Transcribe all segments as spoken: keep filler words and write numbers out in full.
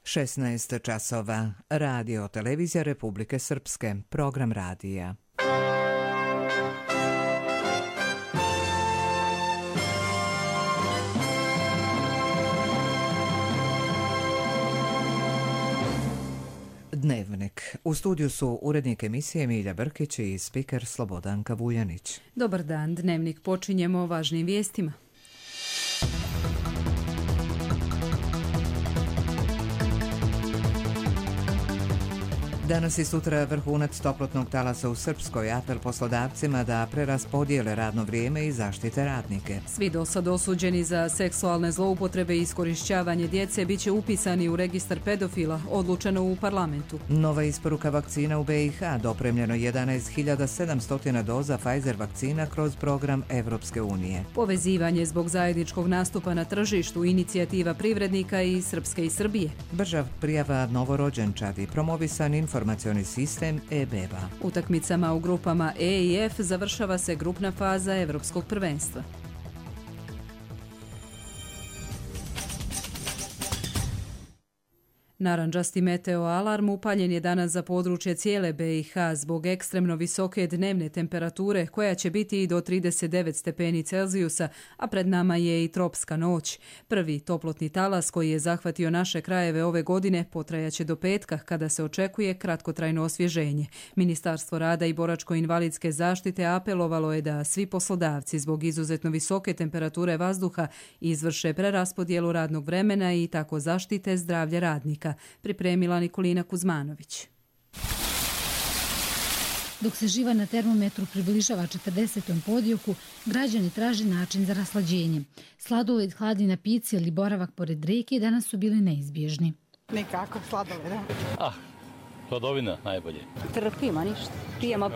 šesnaest časova. Radio televizija Republike Srpske. Program radija. Dnevnik. U studiju su urednik emisije Milja Brkić i spiker Slobodanka Vuljanić. Dobar dan. Dnevnik počinjemo važnim vijestima. Danas i sutra vrhunac toplotnog talasa u Srpskoj. Apel poslodavcima da preraspodijele radno vrijeme i zaštite radnike. Svi dosad osuđeni za seksualne zloupotrebe i iskorišćavanje djece biće upisani u registar pedofila, odlučeno u parlamentu. Nova isporuka vakcina u B i H, dopremljeno jedanaest hiljada sedamsto doza Pfizer vakcina kroz program Evropske unije. Povezivanje zbog zajedničkog nastupa na tržištu, inicijativa privrednika i Srpske i Srbije. Brža prijava novorođenčadi, promovisan informacioni sistem e-beba. Utakmicama u grupama E i F završava se grupna faza Evropskog prvenstva. Narandžasti meteo alarm upaljen je danas za područje cijele B i H zbog ekstremno visoke dnevne temperature koja će biti i do trideset devet stepeni Celzijusa, a pred nama je i tropska noć. Prvi toplotni talas koji je zahvatio naše krajeve ove godine potrajaće do petka kada se očekuje kratkotrajno osvježenje. Ministarstvo rada i boračko-invalidske zaštite apelovalo je da svi poslodavci zbog izuzetno visoke temperature vazduha izvrše preraspodjelu radnog vremena i tako zaštite zdravlje radnika. Pripremila Nikolina Kuzmanović. Dok se živa na termometru približava četrdesetom podioku, građani traže način za raslađenje. Sladoled, hladni napici ili boravak pored reke danas su bili neizbježni. Nikako sladoled. Ah, hladovina najbolje. Trpimo ništa, pijemo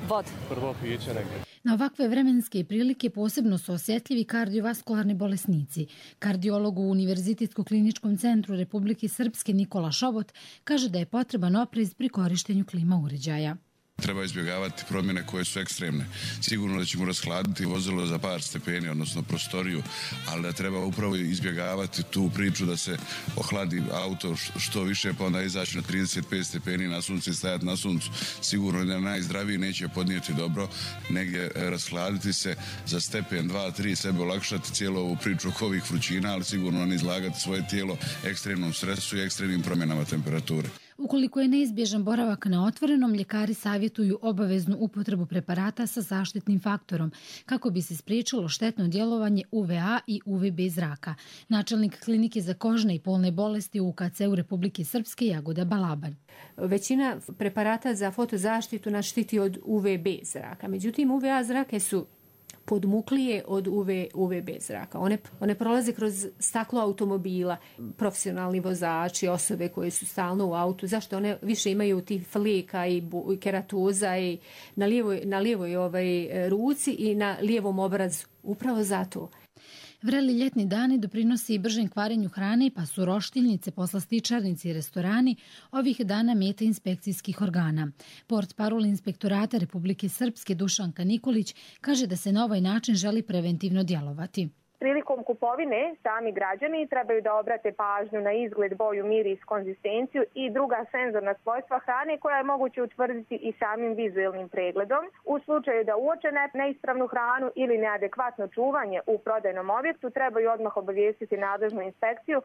vodu. Prvo pijeće negdje. Na ovakve vremenske prilike posebno su osjetljivi kardiovaskularni bolesnici. Kardiolog u Univerzitetsko kliničkom centru Republike Srpske Nikola Šobot kaže da je potreban oprez pri korištenju klima uređaja. Treba izbjegavati promjene koje su ekstremne. Sigurno da ćemo rashladiti vozilo za par stepeni, odnosno prostoriju, ali da treba upravo izbjegavati tu priču da se ohladi auto što više, pa onda izaći na trideset pet stepeni na suncu i stajati na suncu. Sigurno da najzdraviji neće podnijeti dobro, negdje rashladiti se za stepen, dva, tri, sebe olakšati cijelu ovu priču oko ovih vrućina, ali sigurno ne izlagati svoje tijelo ekstremnom stresu i ekstremnim promjenama temperature. Ukoliko je neizbježan boravak na otvorenom, ljekari savjetuju obaveznu upotrebu preparata sa zaštitnim faktorom kako bi se spriječilo štetno djelovanje U V A i U V B zraka. Načelnik klinike za kožne i polne bolesti u U K C-u Republike Srpske Jagoda Balaban. Većina preparata za fotozaštitu nas štiti od U V B zraka. Međutim, U V A zrake su podmuklije od U V B zraka. One, one prolaze kroz staklo automobila, profesionalni vozači, osobe koje su stalno u autu. Zašto? One više imaju tih fleka i, bu, i keratoza i na lijevoj, na lijevoj ovaj, ruci i na lijevom obrazu. Upravo zato. Vreli ljetni dani doprinosi i bržem kvarenju hrane, pa su roštiljnice, poslastičarnici i restorani ovih dana meta inspekcijskih organa. Portparol Inspektorata Republike Srpske Dušanka Nikolić kaže da se na ovaj način želi preventivno djelovati. Prilikom kupovine sami građani trebaju da obrate pažnju na izgled, boju, miris, konzistenciju i druga senzorna svojstva hrane koja je moguće utvrditi i samim vizualnim pregledom. U slučaju da uoče neispravnu hranu ili neadekvatno čuvanje u prodajnom objektu trebaju odmah obavijestiti nadležnu inspekciju.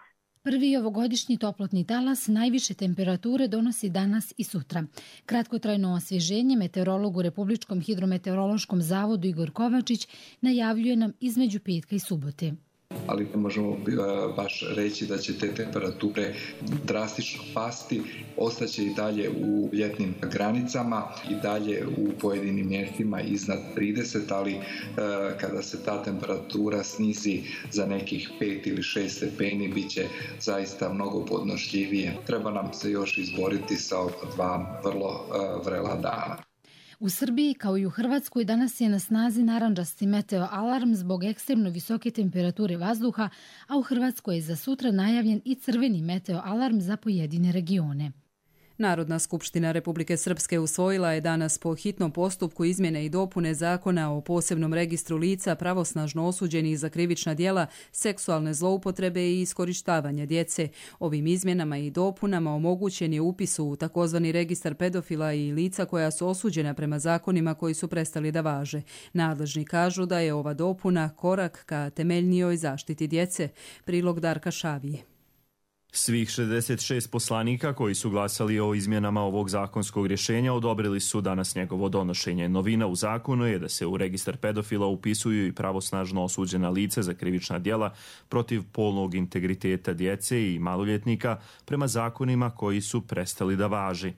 Prvi ovogodišnji toplotni talas najviše temperature donosi danas i sutra. Kratkotrajno osvježenje meteorolog u Republičkom hidrometeorološkom zavodu Igor Kovačić najavljuje nam između petka i subote. Ali ne možemo baš reći da će te temperature drastično pasti, ostaće i dalje u ljetnim granicama i dalje u pojedinim mjestima iznad trideset, ali kada se ta temperatura snizi za nekih pet ili šest stepeni, bit će zaista mnogo podnošljivije. Treba nam se još izboriti sa oko dva vrlo vrela dana. U Srbiji kao i u Hrvatskoj danas je na snazi narandžasti meteo alarm zbog ekstremno visoke temperature vazduha, a u Hrvatskoj je za sutra najavljen i crveni meteo alarm za pojedine regione. Narodna skupština Republike Srpske usvojila je danas po hitnom postupku izmjene i dopune Zakona o posebnom registru lica pravosnažno osuđenih za krivična djela, seksualne zloupotrebe i iskorištavanja djece. Ovim izmjenama i dopunama omogućen je upis u takozvani registar pedofila i lica koja su osuđena prema zakonima koji su prestali da važe. Nadležni kažu da je ova dopuna korak ka temeljnijoj zaštiti djece. Prilog Darka Šavije. Svih šezdeset šest poslanika koji su glasali o izmjenama ovog zakonskog rješenja odobrili su danas njegovo donošenje. Novina u zakonu je da se u registar pedofila upisuju i pravosnažno osuđena lica za krivična djela protiv polnog integriteta djece i maloljetnika prema zakonima koji su prestali da važi.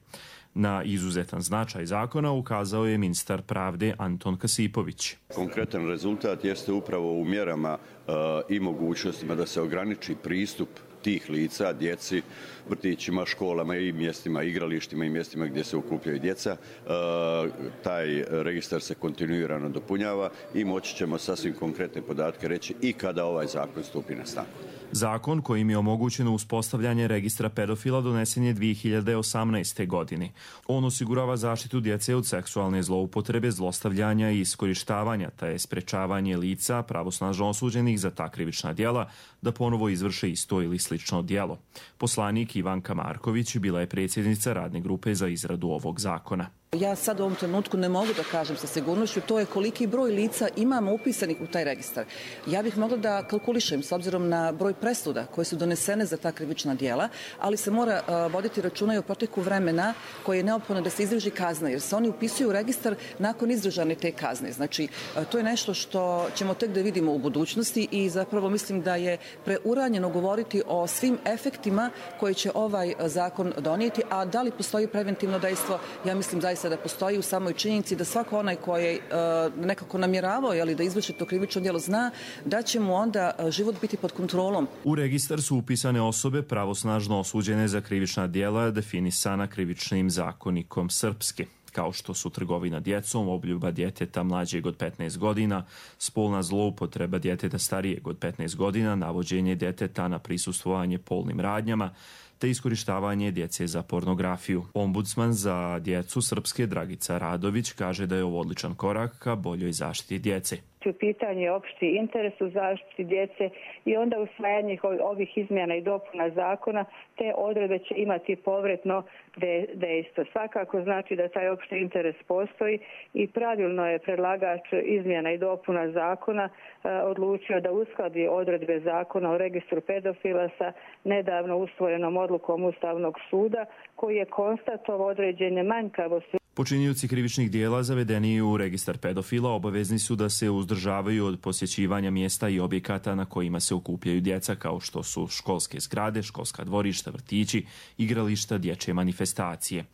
Na izuzetan značaj zakona ukazao je ministar pravde Anton Kasipović. Konkretan rezultat jeste upravo u mjerama uh, i mogućnostima da se ograniči pristup tih lica, djeci, vrtićima, školama i mjestima, igralištima i mjestima gdje se okupljaju djeca. E, taj registar se kontinuirano dopunjava i moći ćemo sasvim konkretne podatke reći i kada ovaj zakon stupi na snagu. Zakon kojim je omogućeno uspostavljanje registra pedofila donesen je dvije hiljade osamnaeste. godine. On osigurava zaštitu djece od seksualne zloupotrebe, zlostavljanja i iskorištavanja, te je sprečavanje lica pravosnažno osuđenih za ta krivična djela da ponovo izvrše isto ili slično djelo. Poslanik Ivanka Marković bila je predsjednica radne grupe za izradu ovog zakona. Ja sad u ovom trenutku ne mogu da kažem sa sigurnošću to je koliki broj lica imamo upisanih u taj registar. Ja bih mogla da kalkulišem s obzirom na broj presuda koje su donesene za ta krivična djela, ali se mora uh, voditi računa i o proteku vremena koje je neophodno da se izdrži kazna, jer se oni upisuju u registar nakon izdržane te kazne. Znači, uh, to je nešto što ćemo tek da vidimo u budućnosti i zapravo mislim da je preuranjeno govoriti o svim efektima koje će ovaj zakon donijeti, a da li postoji preventivno dejstvo, ja mislim zaista da postoji u samoj činjenici da svako onaj koji je uh, nekako namjeravao jeli, da izvrši to krivično djelo zna da će mu onda uh, život biti pod kontrolom. U registar su upisane osobe pravosnažno osuđene za krivična djela definisana krivičnim zakonikom Srpske, kao što su trgovina djecom, obljuba djeteta mlađeg od petnaest godina, spolna zloupotreba djeteta starijeg od petnaest godina, navođenje djeteta na prisustvovanje polnim radnjama, te iskorištavanje djece za pornografiju. Ombudsman za djecu Srpske Dragica Radović kaže da je ovo odličan korak ka boljoj zaštiti djece. U pitanju je opšti interes u zaštiti djece i onda usvajanje ovih izmjena i dopuna zakona te odredbe će imati povratno dejstvo. Svakako znači da taj opšti interes postoji i pravilno je predlagač izmjena i dopuna zakona e, odlučio da uskladi odredbe zakona o registru pedofila sa nedavno usvojenom odlukom Ustavnog suda koji je konstatovao određene manjkavosti. Počinioci krivičnih dijela zavedeni u registar pedofila obavezni su da se uzdržavaju od posjećivanja mjesta i objekata na kojima se okupljaju djeca, kao što su školske zgrade, školska dvorišta, vrtići, igrališta, dječje manifestacije.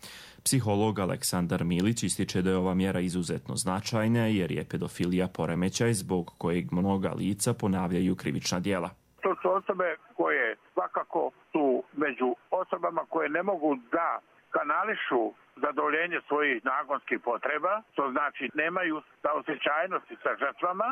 Psiholog Aleksandar Milić ističe da je ova mjera izuzetno značajna jer je pedofilija poremećaj zbog kojeg mnoga lica ponavljaju krivična djela. To su osobe koje svakako su među osobama koje ne mogu da kanališu zadovoljenje svojih nagonskih potreba, to znači nemaju saosjećajnosti sa žrtvama,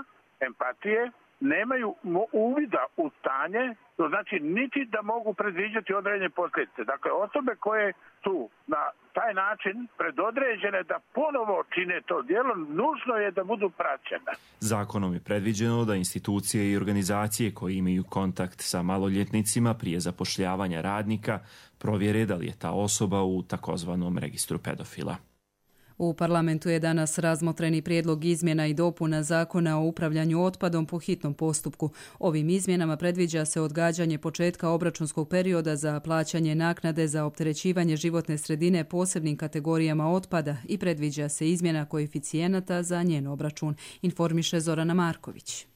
empatije, nemaju uvida u stanje, to znači niti da mogu predviđati određene posljedice. Dakle, osobe koje su na taj način predodređene da ponovo čine to djelo, nužno je da budu praćene. Zakonom je predviđeno da institucije i organizacije koje imaju kontakt sa maloljetnicima prije zapošljavanja radnika provjere da li je ta osoba u takozvanom registru pedofila. U parlamentu je danas razmotreni prijedlog izmjena i dopuna zakona o upravljanju otpadom po hitnom postupku. Ovim izmjenama predviđa se odgađanje početka obračunskog perioda za plaćanje naknade za opterećivanje životne sredine posebnim kategorijama otpada i predviđa se izmjena koeficijenata za njen obračun, informiše Zorana Marković.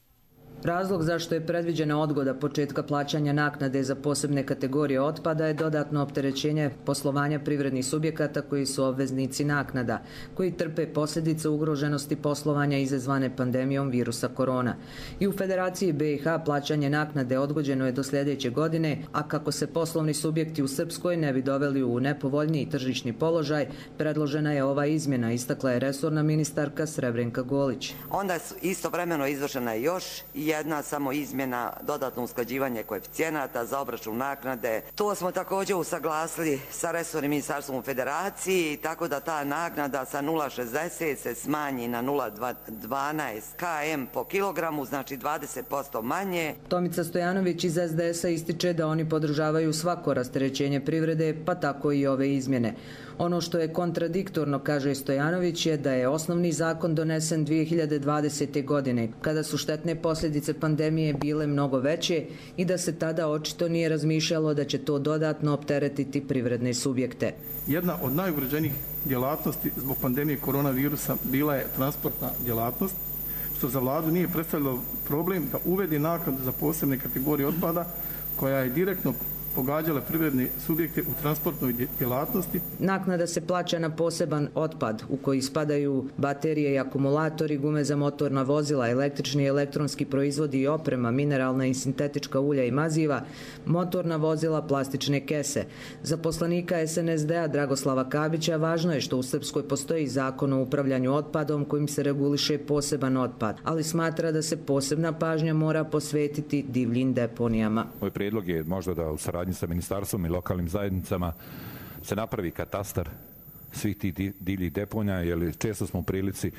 Razlog zašto je predviđena odgoda početka plaćanja naknade za posebne kategorije otpada je dodatno opterećenje poslovanja privrednih subjekata koji su obveznici naknada, koji trpe posljedice ugroženosti poslovanja izazvane pandemijom virusa korona. I u Federaciji B i H plaćanje naknade odgođeno je do sljedeće godine, a kako se poslovni subjekti u Srpskoj ne bi doveli u nepovoljniji tržišni položaj, predložena je ova izmjena, istakla je resorna ministarka Srebrenka Golić. Onda istovremeno izvršena je još jedna jedna samo izmjena, dodatno usklađivanje koeficijenata za obračun naknade. To smo također usaglasili sa resornim ministarstvom u Federaciji, tako da ta naknada sa nula zarez šezdeset se smanji na nula zarez dvanaest kilogram po kilogramu, znači dvadeset posto manje. Tomica Stojanović iz es de esa ističe da oni podržavaju svako rasterećenje privrede, pa tako i ove izmjene. Ono što je kontradiktorno, kaže Stojanović, je da je osnovni zakon donesen dvije hiljade dvadesete. godine, kada su štetne posljedice pandemije bile mnogo veće i da se tada očito nije razmišljalo da će to dodatno opteretiti privredne subjekte. Jedna od najugroženijih djelatnosti zbog pandemije koronavirusa bila je transportna djelatnost, što za vladu nije predstavljalo problem da uvede naknadu za posebne kategorije otpada koja je direktno pogađala privredne subjekte u transportnoj djelatnosti. Naknada se plaća na poseban otpad u koji spadaju baterije i akumulatori, gume za motorna vozila, električni i elektronski proizvodi i oprema, mineralna i sintetička ulja i maziva, motorna vozila, plastične kese. Za poslanika es en es de a Dragoslava Kabića važno je što u Srpskoj postoji zakon o upravljanju otpadom kojim se reguliše poseban otpad, ali smatra da se posebna pažnja mora posvetiti divljim deponijama. Moj prijedlog je možda da u saradnji sa ministarstvom i lokalnim zajednicama se napravi katastar svih tih divljih deponija, jer često smo u prilici,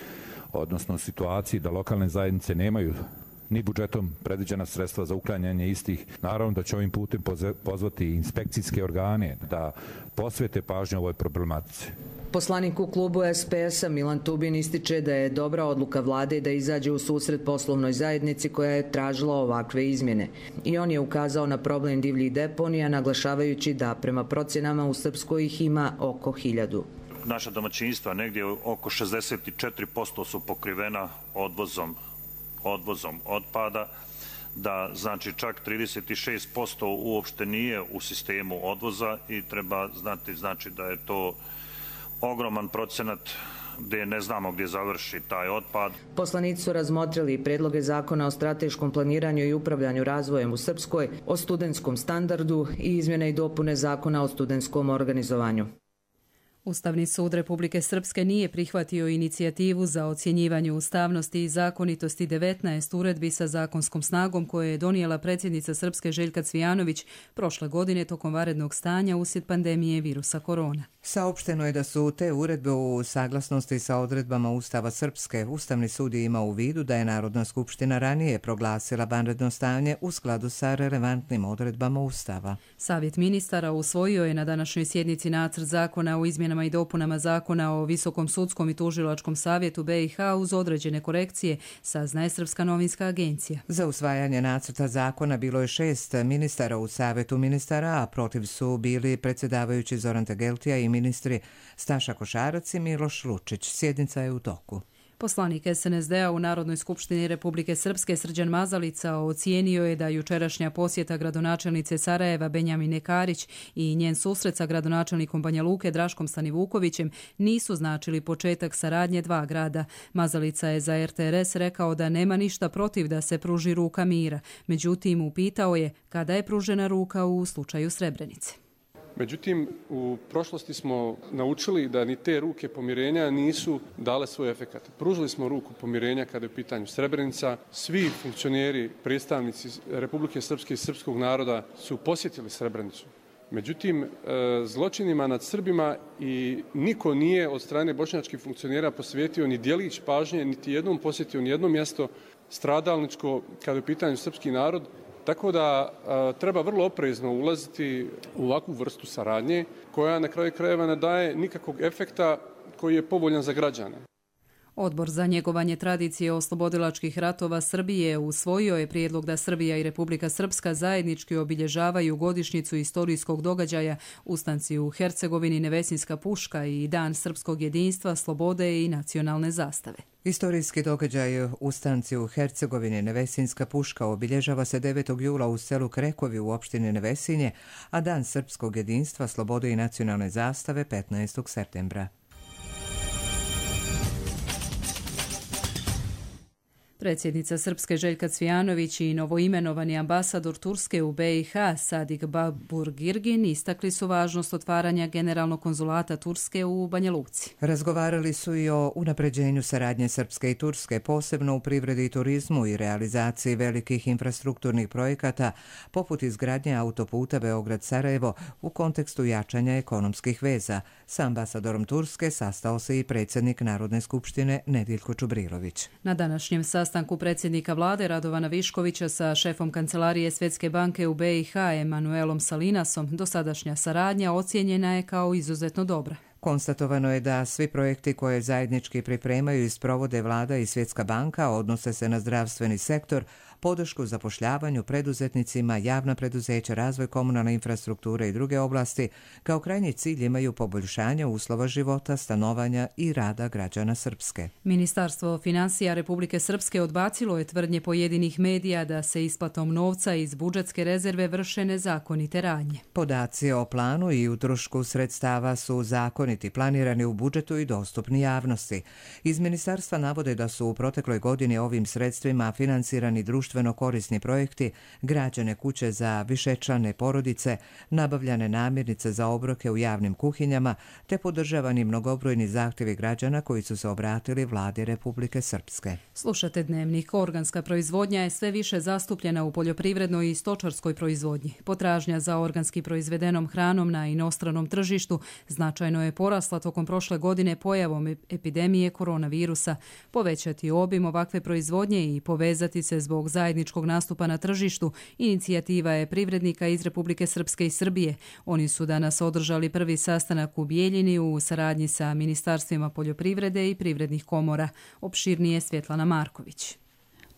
odnosno situaciji da lokalne zajednice nemaju ni budžetom predviđena sredstva za uklanjanje istih. Naravno da će ovim putem pozvati inspekcijske organe da posvete pažnju ovoj problematici. Poslanik u klubu es pe esa Milan Tubin ističe da je dobra odluka vlade da izađe u susret poslovnoj zajednici koja je tražila ovakve izmjene. I on je ukazao na problem divljih deponija, naglašavajući da prema procjenama u Srpskoj ih ima oko hiljadu. Naša domaćinstva negdje oko šezdeset četiri posto su pokrivena odvozom, odvozom otpada, da znači čak trideset šest posto uopšte nije u sistemu odvoza i treba znati znači da je to ogroman procenat gdje ne znamo gdje završi taj otpad. Poslanici su razmotrili predloge zakona o strateškom planiranju i upravljanju razvojem u Srpskoj, o studentskom standardu i izmjene i dopune zakona o studentskom organizovanju. Ustavni sud Republike Srpske nije prihvatio inicijativu za ocjenjivanje ustavnosti i zakonitosti devetnaest uredbi sa zakonskom snagom koje je donijela predsjednica Srpske Željka Cvijanović prošle godine tokom vanrednog stanja uslijed pandemije virusa korona. Saopšteno je da su te uredbe u saglasnosti sa odredbama Ustava Srpske. Ustavni sud je imao u vidu da je Narodna skupština ranije proglasila vanredno stanje u skladu sa relevantnim odredbama Ustava. Savjet ministara usvojio je na današnjoj sjednici nacrt zakona o izmjenama i dopunama zakona o Visokom sudskom i tužilačkom savjetu be i ha uz određene korekcije, saznaje Srpska novinska agencija. Za usvajanje nacrta zakona bilo je šest ministara u Savjetu ministara, a protiv su bili predsjedavajući Zoran Tegeltija i ministri Staša Košarac i Miloš Lučić. Sjednica je u toku. Poslanik es en es de a u Narodnoj skupštini Republike Srpske Srđan Mazalica ocijenio je da jučerašnja posjeta gradonačelnice Sarajeva Benjamine Karić i njen susret sa gradonačelnikom Banja Luke Draškom Stanivukovićem nisu značili početak saradnje dva grada. Mazalica je za er te er es rekao da nema ništa protiv da se pruži ruka mira. Međutim, upitao je kada je pružena ruka u slučaju Srebrenice. Međutim, u prošlosti smo naučili da ni te ruke pomirenja nisu dale svoj efekat. Pružili smo ruku pomirenja kada je u pitanju Srebrenica. Svi funkcioneri, predstavnici Republike Srpske i srpskog naroda su posjetili Srebrenicu. Međutim, zločinima nad Srbima i niko nije od strane bošnjačkih funkcionera posvetio ni djelić pažnje, niti jednom posjetio ni jedno mjesto stradalničko kada je u pitanju srpski narod. Tako da a, treba vrlo oprezno ulaziti u ovakvu vrstu saradnje koja na kraju krajeva ne daje nikakvog efekta koji je povoljan za građane. Odbor za njegovanje tradicije oslobodilačkih ratova Srbije usvojio je prijedlog da Srbija i Republika Srpska zajednički obilježavaju godišnjicu istorijskog događaja Ustanci u Hercegovini, Nevesinska puška i Dan srpskog jedinstva, slobode i nacionalne zastave. Istorijski događaj Ustanci u Hercegovini, Nevesinska puška obilježava se devetog jula u selu Krekovi u opštini Nevesinje, a Dan srpskog jedinstva, slobode i nacionalne zastave petnaestog septembra. Predsjednica Srpske Željka Cvijanović i novoimenovani ambasador Turske u B i H Sadik Baburgirgin istakli su važnost otvaranja generalnog konzulata Turske u Banja Luci. Razgovarali su i o unapređenju saradnje Srpske i Turske, posebno u privredi i turizmu i realizaciji velikih infrastrukturnih projekata, poput izgradnje autoputa Beograd-Sarajevo u kontekstu jačanja ekonomskih veza. Sa ambasadorom Turske sastao se i predsjednik Narodne skupštine Nediljko Čubrilović. Na današnjem sastanku predsjednika vlade Radovana Viškovića sa šefom kancelarije Svjetske banke u B i H Emanuelom Salinasom dosadašnja saradnja ocijenjena je kao izuzetno dobra. Konstatovano je da svi projekti koje zajednički pripremaju i sprovode vlada i Svjetska banka odnose se na zdravstveni sektor, podršku zapošljavanju, preduzetnicima, javna preduzeća, razvoj komunalne infrastrukture i druge oblasti, kao krajnji cilj imaju poboljšanje uslova života, stanovanja i rada građana Srpske. Ministarstvo financija Republike Srpske odbacilo je tvrdnje pojedinih medija da se isplatom novca iz budžetske rezerve vrše nezakonite radnje. Podaci o planu i utrošku sredstava su zakoniti, planirani u budžetu i dostupni javnosti. Iz ministarstva navode da su u protekloj godini ovim sredstvima finansirani društveni društveno korisni projekti, građene kuće za višečlane porodice, nabavljane namirnice za obroke u javnim kuhinjama, te podržavani mnogobrojni zahtjevi građana koji su se obratili vladi Republike Srpske. Slušate Dnevnik. Organska proizvodnja je sve više zastupljena u poljoprivrednoj i stočarskoj proizvodnji. Potražnja za organski proizvedenom hranom na inostranom tržištu značajno je porasla tokom prošle godine pojavom epidemije koronavirusa. Povećati obim ovakve proizvodnje i povezati se zbog zajedničkog nastupa na tržištu inicijativa je privrednika iz Republike Srpske i Srbije. Oni su danas održali prvi sastanak u Bijeljini u saradnji sa ministarstvima poljoprivrede i privrednih komora. Opširnije Svjetlana Marković.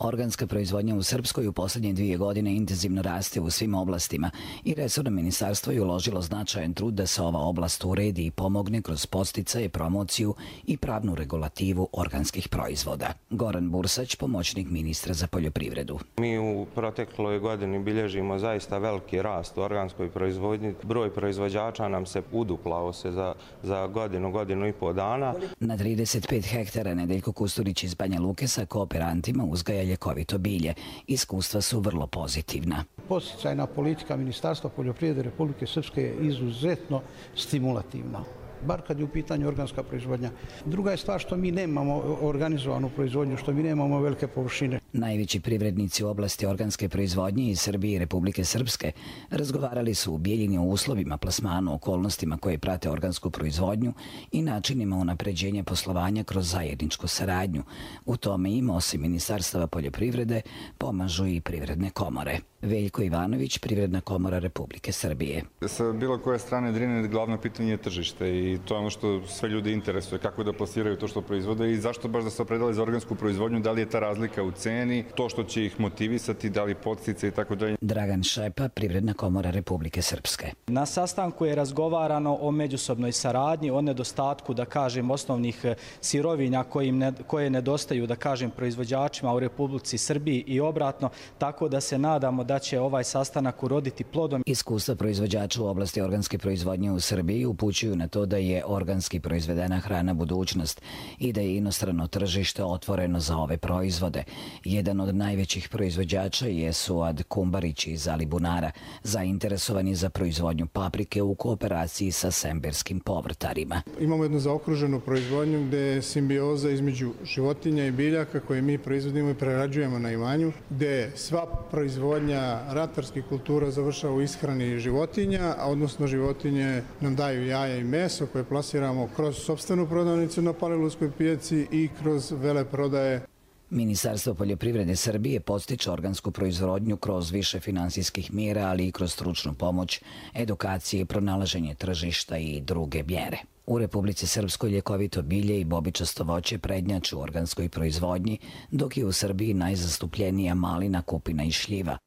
Organska proizvodnja u Srpskoj u posljednje dvije godine intenzivno raste u svim oblastima i resorno ministarstvo je uložilo značajan trud da se ova oblast uredi i pomogne kroz podsticaje, promociju i pravnu regulativu organskih proizvoda. Goran Bursać, pomoćnik ministra za poljoprivredu. Mi u protekloj godini bilježimo zaista veliki rast u organskoj proizvodnji. Broj proizvođača nam se uduplao se za, za godinu, godinu i pol dana. Na trideset pet hektara Nedeljko Kusturić iz Banja Luke sa kooperantima uzgaja ljekovito bilje. Iskustva su vrlo pozitivna. Podsticajna politika Ministarstva poljoprivrede Republike Srpske je izuzetno stimulativna, bar kad je u pitanju organska proizvodnja. Druga je stvar što mi nemamo organizovanu proizvodnju, što mi nemamo velike površine. Najveći privrednici u oblasti organske proizvodnje iz Srbije i Republike Srpske razgovarali su u Bijeljini o uslovima, plasmanu, okolnostima koje prate organsku proizvodnju i načinima unapređenja poslovanja kroz zajedničku saradnju. U tome im, osim Ministarstava poljoprivrede, pomažu i privredne komore. Veljko Ivanović, Privredna komora Republike Srbije. Sa bilo koje strane Drine glavno pitanje je tržište i to je ono što sve ljudi interesuje, kako da plasiraju to što proizvode i zašto baš da se opredele za organsku proizvodnju, da li je ta razlika u ceni, to što će ih motivisati, da li podstice i tako dalje. Dragan Šepa, Privredna komora Republike Srpske. Na sastanku je razgovarano o međusobnoj saradnji, o nedostatku, da kažem, osnovnih sirovinja ne, koje nedostaju, da kažem, proizvođačima u Republici Srbiji i obratno, tako da se nadamo da će ovaj sastanak uroditi plodom. Iskustva proizvođača u oblasti organske proizvodnje u Srbiji upućuju na to da je organski proizvedena hrana budućnost i da je inostrano tržište otvoreno za ove proizvode. Jedan od najvećih proizvođača je Suad Kumbarić iz Alibunara, zainteresovani za proizvodnju paprike u kooperaciji sa semberskim povrtarima. Imamo jednu zaokruženu proizvodnju gdje je simbioza između životinja i biljaka koje mi proizvodimo i prerađujemo na imanju, gdje sva proizvodnja ratarskih kultura završava u ishrani životinja, a odnosno životinje nam daju jaja i meso koje plasiramo kroz sopstvenu prodavnicu na Palilulskoj pijaci i kroz veleprodaje. Ministarstvo poljoprivrede Srbije podstiče organsku proizvodnju kroz više finansijskih mjera, ali i kroz stručnu pomoć, edukacije, pronalaženje tržišta i druge mjere. U Republici Srpskoj ljekovito bilje i bobičasto voće prednjače u organskoj proizvodnji, dok je u Srbiji najzastupljenija malina, kupina i šljiva.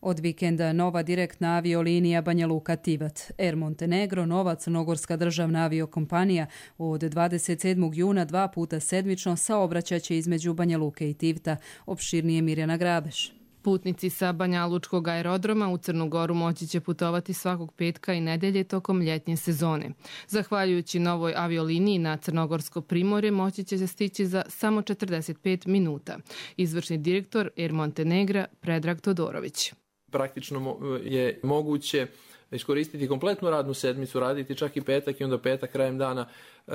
Od vikenda nova direktna aviolinija Banja Luka-Tivat. Air Montenegro, nova crnogorska državna aviokompanija, od dvadeset sedmog juna dva puta sedmično saobraćaće između Banja Luke i Tivta. Opširnije Mirjana Grabeš. Putnici sa Banjalučkog aerodroma u Crnu Goru moći će putovati svakog petka i nedelje tokom ljetnje sezone. Zahvaljujući novoj avioliniji na Crnogorsko primorje moći će se stići za samo četrdeset pet minuta. Izvršni direktor Air Montenegra Predrag Todorović. Praktično je moguće iskoristiti kompletnu radnu sedmicu, raditi čak i petak i onda petak krajem dana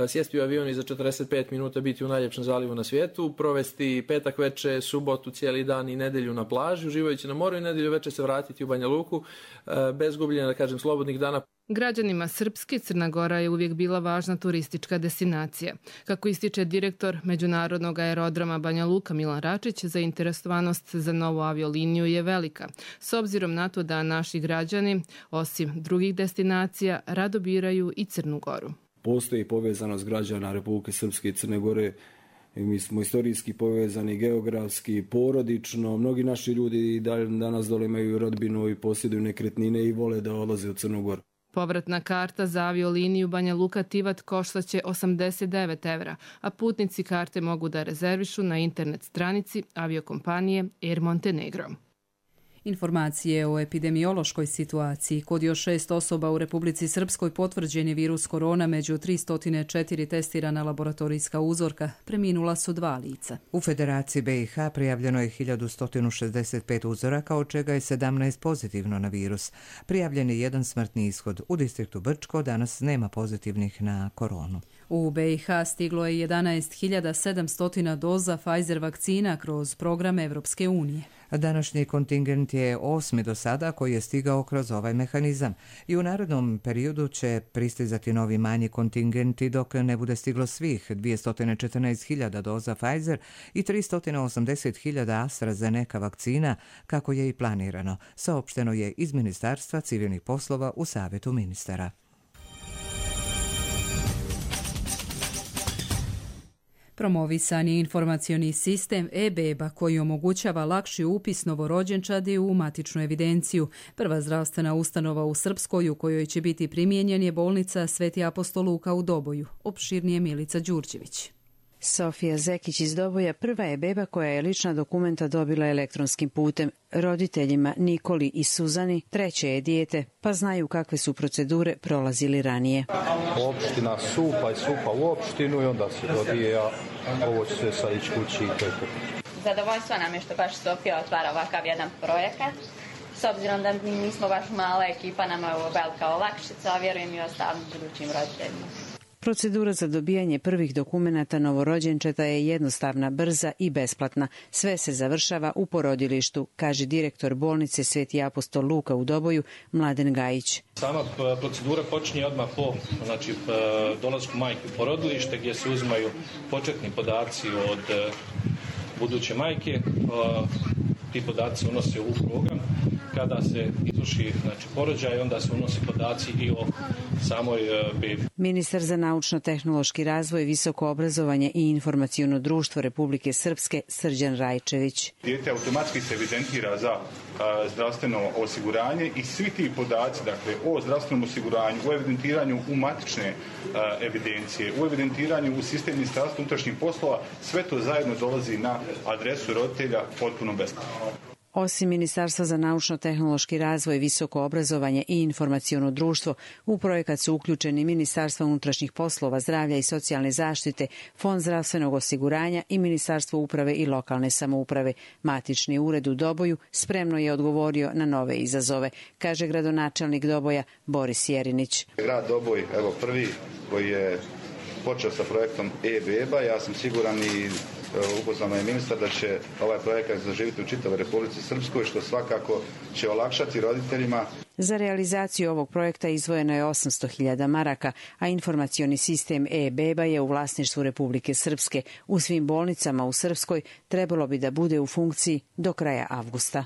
sjesti u avion i za četrdeset pet minuta biti u najljepšem zalivu na svijetu, provesti petak veče, subotu, cijeli dan i nedelju na plaži, uživajući na moru i nedelju veče se vratiti u Banja Luku bez gubljenja, da kažem, slobodnih dana. Građanima Srpske Crna Gora je uvijek bila važna turistička destinacija. Kako ističe direktor Međunarodnog aerodroma Banja Luka Milan Račić, zainteresovanost za novu avioliniju je velika, s obzirom na to da naši građani, osim drugih destinacija, rado biraju i Crnu Goru. Postoji povezanost građana Republike Srpske i Crne Gore. Mi smo istorijski povezani, geografski, porodično. Mnogi naši ljudi danas dole imaju rodbinu i posjeduju nekretnine i vole da odlaze u Crnu Goru. Povratna karta za avioliniju Banja Luka Tivat koštaće osamdeset devet evra, a putnici karte mogu da rezervišu na internet stranici aviokompanije Air Montenegro. Informacije o epidemiološkoj situaciji. Kod još šest osoba u Republici Srpskoj potvrđen je virus korona, među tristo četiri testirana laboratorijska uzorka. Preminula su dva lica. U Federaciji B i H prijavljeno je hiljadu sto šezdeset pet uzoraka, od čega je sedamnaest pozitivno na virus. Prijavljen je jedan smrtni ishod. U distriktu Brčko danas nema pozitivnih na koronu. U B i H stiglo je jedanaest hiljada sedamsto doza Pfizer vakcina kroz program Evropske unije. Današnji kontingent je osmi do sada koji je stigao kroz ovaj mehanizam i u narednom periodu će pristizati novi manji kontingenti dok ne bude stiglo svih dvjesto četrnaest hiljada doza Pfizer i tristo osamdeset hiljada AstraZeneca vakcina kako je i planirano, saopšteno je iz Ministarstva civilnih poslova u Savjetu ministara. Promovisan je informacioni sistem e-beba koji omogućava lakši upis novorođenčadi u matičnu evidenciju. Prva zdravstvena ustanova u Srpskoj u kojoj će biti primijenjen je bolnica Sveti apostol Luka u Doboju. Opširnije Milica Đurđević. Sofija Zekić iz Doboja prva je beba koja je lična dokumenta dobila elektronskim putem. Roditeljima Nikoli i Suzani treće je dijete, pa znaju kakve su procedure prolazili ranije. Opština supa i supa u opštinu i onda se dobije, a ovo će se sad ići kući i to je to. Zadovoljstvo nam je što baš Sofija otvara ovakav jedan projekat. S obzirom da mi nismo baš mala ekipa, nama je ovo velika olakšica, a vjerujem i ostalim budućim roditeljima. Procedura za dobijanje prvih dokumenata novorođenčeta je jednostavna, brza i besplatna. Sve se završava u porodilištu, kaže direktor bolnice Sveti apostol Luka u Doboju, Mladen Gajić. Sama procedura počinje odmah po znači, dolasku majke u porodilište gdje se uzimaju početni podaci od buduće majke. Ti podaci unose u program. Kada se izvrši znači, porođaj, onda se unose podaci i o samoj bebi. Ministar za naučno-tehnološki razvoj, visoko obrazovanje i informaciono društvo Republike Srpske Srđan Rajčević. Dijete automatski se evidentira za a, zdravstveno osiguranje i svi ti podaci, dakle, o zdravstvenom osiguranju, o evidentiranju u matične a, evidencije, u evidentiranju u sistem Ministarstva unutrašnjih poslova, sve to zajedno dolazi na adresu roditelja potpuno besplatno. Osim Ministarstva za naučno-tehnološki razvoj, visoko obrazovanje i informaciono društvo, u projekat su uključeni Ministarstva unutrašnjih poslova, zdravlja i socijalne zaštite, Fond zdravstvenog osiguranja i Ministarstvo uprave i lokalne samouprave. Matični ured u Doboju spremno je odgovorio na nove izazove, kaže gradonačelnik Doboja Boris Jerinić. Grad Doboj, evo prvi koji je počeo sa projektom e-beba, ja sam siguran i upoznao je ministar da će ovaj projekat zaživjeti u čitavoj Republici Srpskoj, što svakako će olakšati roditeljima. Za realizaciju ovog projekta izdvojeno je osamsto hiljada maraka, a informacioni sistem e-beba je u vlasništvu Republike Srpske. U svim bolnicama u Srpskoj trebalo bi da bude u funkciji do kraja avgusta.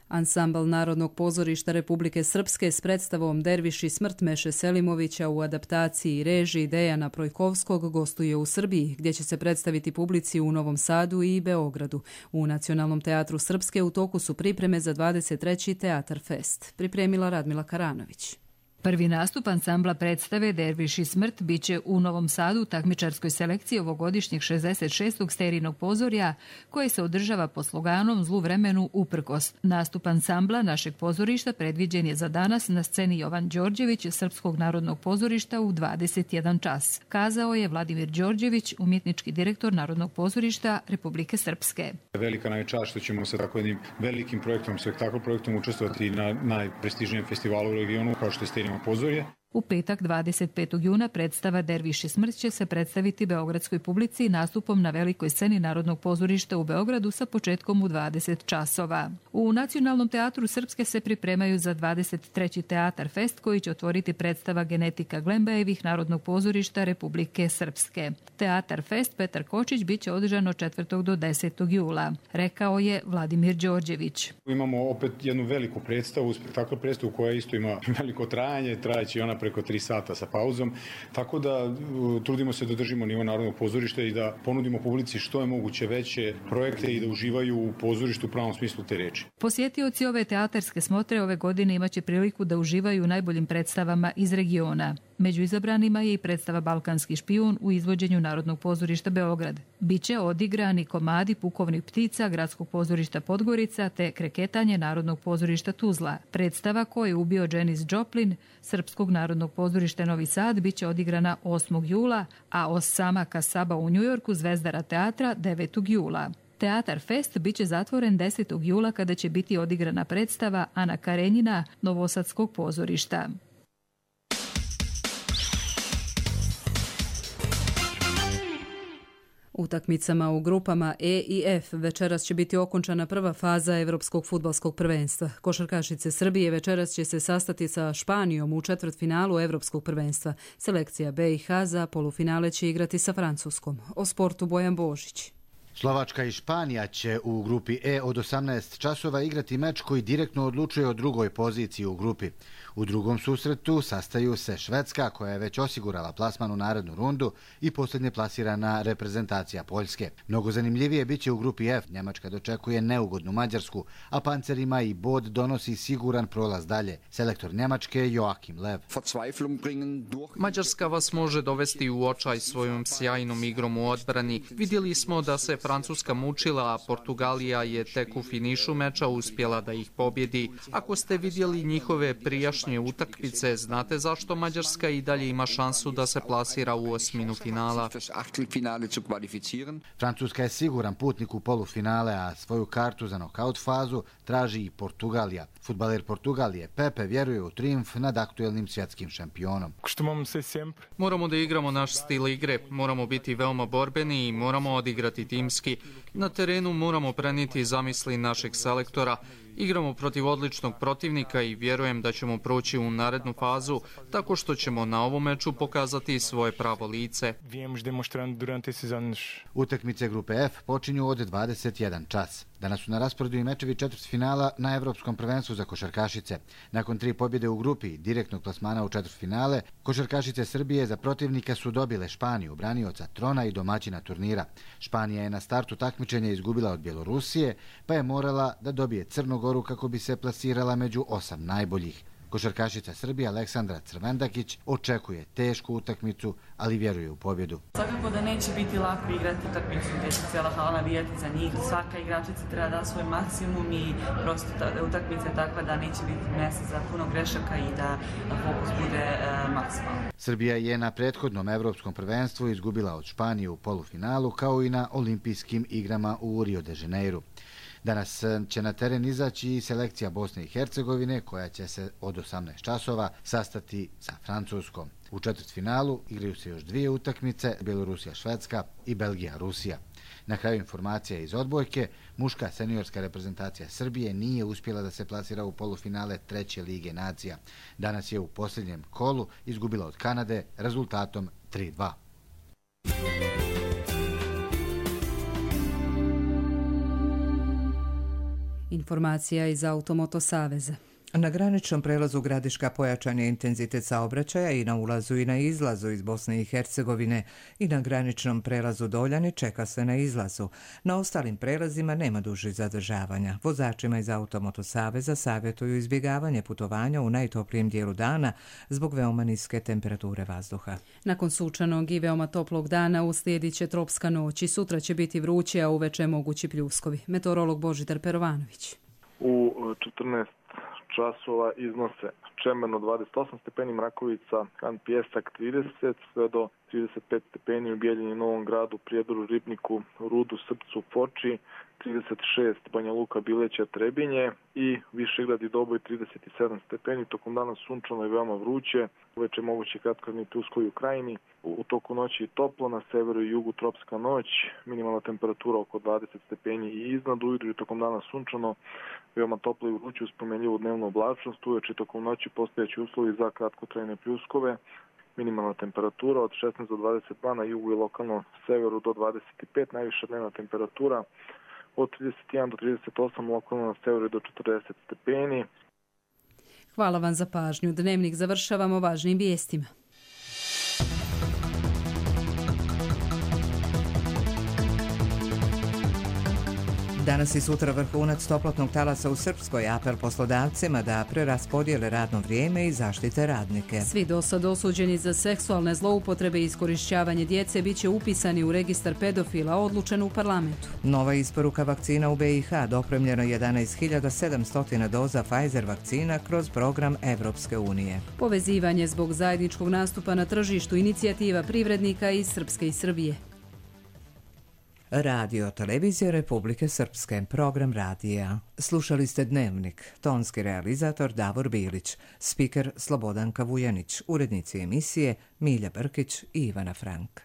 Ansambl Narodnog pozorišta Republike Srpske s predstavom Derviši smrt Meše Selimovića u adaptaciji i režiji Dejana Projkovskog gostuje u Srbiji, gdje će se predstaviti publici u Novom Sadu i Beogradu. U Nacionalnom teatru Srpske u toku su pripreme za dvadeset treći Teatar Fest. Pripremila Radmila Karanović. Prvi nastup ansambla predstave Derviš i smrt biće u Novom Sadu u takmičarskoj selekciji ovogodišnjeg šezdeset šestog Sterinog pozorja, koje se održava pod sloganom Zlu vremenu uprkos. Nastup ansambla našeg pozorišta predviđen je za danas na sceni Jovan Đorđević Srpskog narodnog pozorišta u dvadeset jedan čas, kazao je Vladimir Đorđević, umjetnički direktor Narodnog pozorišta Republike Srpske. Velika nam je čast što ćemo sa tako jednim velikim projektom, spektakl projektom učestvovati na najprestižnijem festivalu u regionu kao što je Sterino pozorje. U petak dvadeset petog juna predstava Derviš i smrt će se predstaviti beogradskoj publici nastupom na velikoj sceni Narodnog pozorišta u Beogradu sa početkom u dvadeset časova. U Nacionalnom teatru Srpske se pripremaju za dvadeset treći Teatar Fest koji će otvoriti predstava Genetika Glembajevih Narodnog pozorišta Republike Srpske. Teatar Fest Petar Kočić biće održan od četvrtog do desetog jula, rekao je Vladimir Đorđević. Imamo opet jednu veliku predstavu, spektakl predstavu koja isto ima veliko trajanje, trajeći ona preko tri sata sa pauzom, tako da trudimo se da držimo nivo Narodnog pozorišta i da ponudimo publici što je moguće veće projekte i da uživaju u pozorištu u pravom smislu te reči. Posjetioci ove teatarske smotre ove godine imaće priliku da uživaju u najboljim predstavama iz regiona. Među izabranima je i predstava Balkanski špijun u izvođenju Narodnog pozorišta Beograd. Biće odigrani komadi Pukovnih ptica Gradskog pozorišta Podgorica te Kreketanje Narodnog pozorišta Tuzla. Predstava Ko je ubio Janis Joplin Srpskog narodnog pozorišta Novi Sad biće odigrana osmog jula, a Osama Kasaba u Njujorku Zvezdara teatra devetog jula. Teatar Fest biće zatvoren desetog jula kada će biti odigrana predstava Ana Karenjina Novosadskog pozorišta. Utakmicama u grupama E i F večeras će biti okončana prva faza Evropskog fudbalskog prvenstva. Košarkašice Srbije večeras će se sastati sa Španijom u četvrtfinalu Evropskog prvenstva. Selekcija B i H za polufinale će igrati sa Francuskom. O sportu Bojan Božić. Slovačka i Španija će u grupi E od osamnaest časova igrati meč koji direktno odlučuje o drugoj poziciji u grupi. U drugom susretu sastaju se Švedska, koja je već osigurala plasman u narednu rundu, i posljednje plasirana reprezentacija Poljske. Mnogo zanimljivije biće u grupi F. Njemačka dočekuje neugodnu Mađarsku, a pancerima i bod donosi siguran prolaz dalje. Selektor Njemačke Joachim Lev. Mađarska vas može dovesti u očaj svojom sjajnom igrom u odbrani. Vidjeli smo da se Francuska mučila, a Portugalija je tek u finišu meča uspjela da ih pobjedi. Ako ste vidjeli njihove prijašnje utakmice, znate zašto Mađarska i dalje ima šansu da se plasira u osminu finala. Francuska je siguran putnik u polufinale, a svoju kartu za nokaut fazu traži i Portugalija. Fudbaler Portugalije Pepe vjeruje u trijumf nad aktuelnim svjetskim šampionom. Moramo da igramo naš stil igre, moramo biti veoma borbeni i moramo odigrati timski. Na terenu moramo prenijeti zamisli našeg selektora. Igramo protiv odličnog protivnika i vjerujem da ćemo proći u narednu fazu tako što ćemo na ovom meču pokazati svoje pravo lice. Utakmice grupe F počinju od dvadeset jedan čas. Danas su na rasporedu i mečevi četvrtfinala na Evropskom prvenstvu za košarkašice. Nakon tri pobjede u grupi direktnog plasmana u četvrtfinale, košarkašice Srbije za protivnika su dobile Španiju, branioca trona i domaćina turnira. Španija je na startu takmičenja izgubila od Bjelorusije, pa je morala da dobije Crnu Goru kako bi se plasirala među osam najboljih. Košarkašica Srbije Aleksandra Crvendakić očekuje tešku utakmicu, ali vjeruje u pobjedu. Svakako da neće biti lako igrati utakmicu gdje će cijela hala navijati za njih. Svaka igračica treba da svoj maksimum i prosto utakmica je takva da neće biti mjesta za puno grešaka i da fokus bude e, maksimalan. Srbija je na prethodnom evropskom prvenstvu izgubila od Španije u polufinalu, kao i na olimpijskim igrama u Rio de Janeiru. Danas će na teren izaći i selekcija Bosne i Hercegovine, koja će se od osamnaest časova sastati sa Francuskom. U četvrtfinalu igraju se još dvije utakmice, Bjelorusija-Švedska i Belgija-Rusija. Na kraju informacija iz odbojke, muška seniorska reprezentacija Srbije nije uspjela da se plasira u polufinale treće lige nacija. Danas je u posljednjem kolu izgubila od Kanade rezultatom tri dva. Informacija iz Automoto Saveza. Na graničnom prelazu Gradiška pojačan je intenzitet saobraćaja i na ulazu i na izlazu iz Bosne i Hercegovine i na graničnom prelazu Doljani čeka se na izlazu. Na ostalim prelazima nema dužih zadržavanja. Vozačima iz Automoto Saveza savjetuju izbjegavanje putovanja u najtoplijem dijelu dana zbog veoma niske temperature vazduha. Nakon sunčanog i veoma toplog dana uslijedit će tropska noć i sutra će biti vruće, a uveče mogući pljuskovi. Meteorolog Božidar Perovanović. U četrnaest časova iznose Čemerno dvadeset osam stepeni, Mrakovica, Kan Pijesak trideset, sve do trideset pet stepeni u Bijeljini, Novom Gradu, Prijedoru, Ribniku, Rudu, Srpcu, Foči, trideset šest Banja Luka, Bileća, Trebinje i Višegrad i Doboj trideset sedam stepeni. Tokom dana sunčano i veoma vruće, uveče moguće kratkotrajni pljuskovi u Krajini. U toku noći toplo, na severu i jugu tropska noć, minimalna temperatura oko dvadeset stepeni i iznad, ujutro i tokom dana sunčano, veoma toplo i vruće uz promjenljivu dnevnu oblačnost, uveče tokom noći postojeći uslovi za kratkotrajne pljuskove, minimalna temperatura od šesnaest do dvadeset dva na jugu i lokalno severu do dvadeset pet, najviša dnevna temperatura od trideset jedan do trideset osam, lokalno na severu do četrdeset stepeni. Hvala vam za pažnju. Dnevnik završavamo važnim vijestima. Danas i sutra vrhunac toplotnog talasa u Srpskoj, apel poslodavcima da preraspodijele radno vrijeme i zaštite radnike. Svi dosad osuđeni za seksualne zloupotrebe i iskorišćavanje djece bit će upisani u registar pedofila, odlučen u parlamentu. Nova isporuka vakcina u B i H, dopremljeno jedanaest hiljada sedamsto doza Pfizer vakcina kroz program Evropske unije. Povezivanje zbog zajedničkog nastupa na tržištu, inicijativa privrednika iz Srpske i Srbije. Radio Televizija Republike Srpske, program radija. Slušali ste Dnevnik, tonski realizator Davor Bilić, spiker Slobodanka Vujanić, urednici emisije Milja Brkić i Ivana Frank.